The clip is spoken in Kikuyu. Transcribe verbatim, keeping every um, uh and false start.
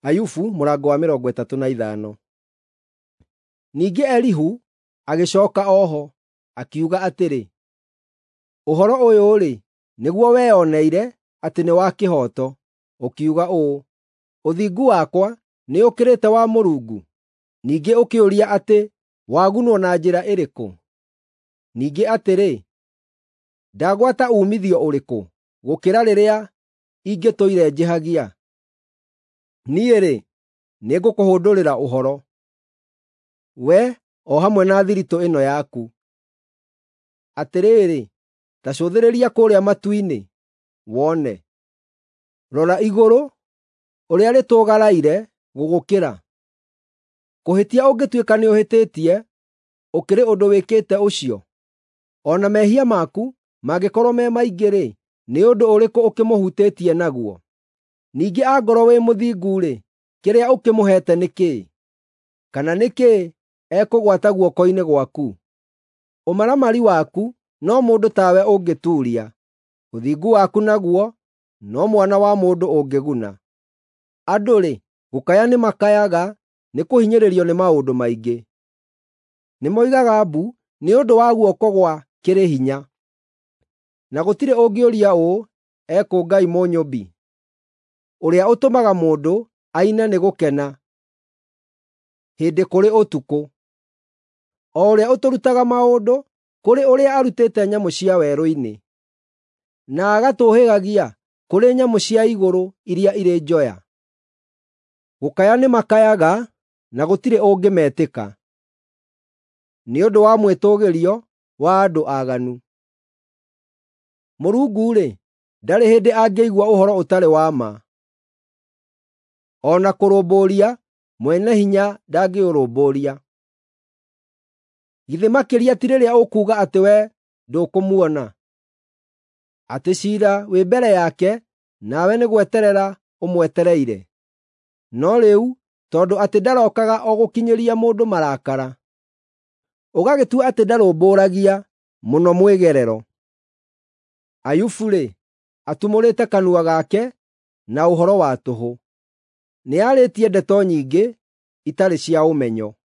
Ayubu mũrango wa mĩrongo ĩtatũ na ithano. Ningĩ Elihu agĩcooka o ho, akiuga atĩrĩ, “Ũhoro ũyũ-rĩ, nĩguo weyoneire atĩ nĩ wa kĩhooto, ũkiuga ũũ, ‘Ũthingu wakwa nĩũkĩrĩte wa Mũrungu?’ Ningĩ ũkĩũria atĩ, ‘Wagunwo na njĩra ĩrĩkũ?’ Ningĩ atĩrĩ, ‘Ndagwata uumithio ũrĩkũ gũkĩra rĩrĩa ingĩtũire njĩhagia?’ Niĩ-rĩ, nĩngũkũhũndũrĩra ũhoro, we o hamwe na thiritũ ĩno yaku. Atĩrĩrĩ, ta cũthĩrĩria kũrĩa matu-inĩ, wone; rora igũrũ, ũrĩa rĩtũgaraire gũgũkĩra. Kũhĩtia ũngĩtuĩka nĩũhĩtĩtie, ũkĩrĩ ũndũ wĩkĩte ũcio? O na mehia maku mangĩkorwo me maingĩ-rĩ, nĩ ũndũ ũrĩkũ ũkĩmũhutĩtie naguo? Ningĩ angorwo wĩ mũthingu-rĩ, kĩrĩa ũkĩmũheete nĩ kĩĩ? Kana nĩ kĩĩ ekũgwata guoko-inĩ gwaku? Ũmaramari waku no mũndũ tawe ũngĩtuuria, ũthingu waku naguo no mwana wa mũndũ ũngĩguna. Andũ-rĩ, gũkaya nĩmakayaga nĩkũhinyĩrĩrio nĩ maũndũ maingĩ. Nĩmoigaga mbu nĩ ũndũ wa guoko gwa kĩrĩ hinya, na gũtirĩ ũngĩũria ũũ, ‘Ekũ Ngai Mũnyũmbi, ũrĩa ũtũmaga mũndũ aine nĩ gũkena hĩndĩ kũrĩ ũtukũ, o ũrĩa ũtũrutaga maũndũ kũrĩ ũrĩa arutĩte nyamũ cia werũ-inĩ, na agatũũhĩgagia kũrĩ nyamũ cia igũrũ iria irĩ njoya?’ Gũkaya nĩmakayaga na gũtirĩ ũngĩmetĩka, nĩ ũndũ wa mwĩtũũgĩrio wa andũ aaganu. Mũrungu-rĩ, ndarĩ hĩndĩ angĩigua ũhoro ũtarĩ wa ma, o na kũrũmbũiya Mwene-Hinya ndangĩũrũmbũiya. Githĩ makĩria ti rĩrĩa ũkuuga atĩ wee ndũkũmuona, atĩ ciira wĩ mbere yake nawe nĩ gweterera ũmwetereire? No rĩu tondũ atĩ ndarokaga o gũkinyĩria mũndũ marakara, ũgagĩtua atĩ ndarũmbũragia mũno mwĩgerero. Ayubu-rĩ, atumũrĩte kanua gake na ũhoro wa tũhũ; nĩarĩtie ndeto nyingĩ itarĩ cia ũmenyo.”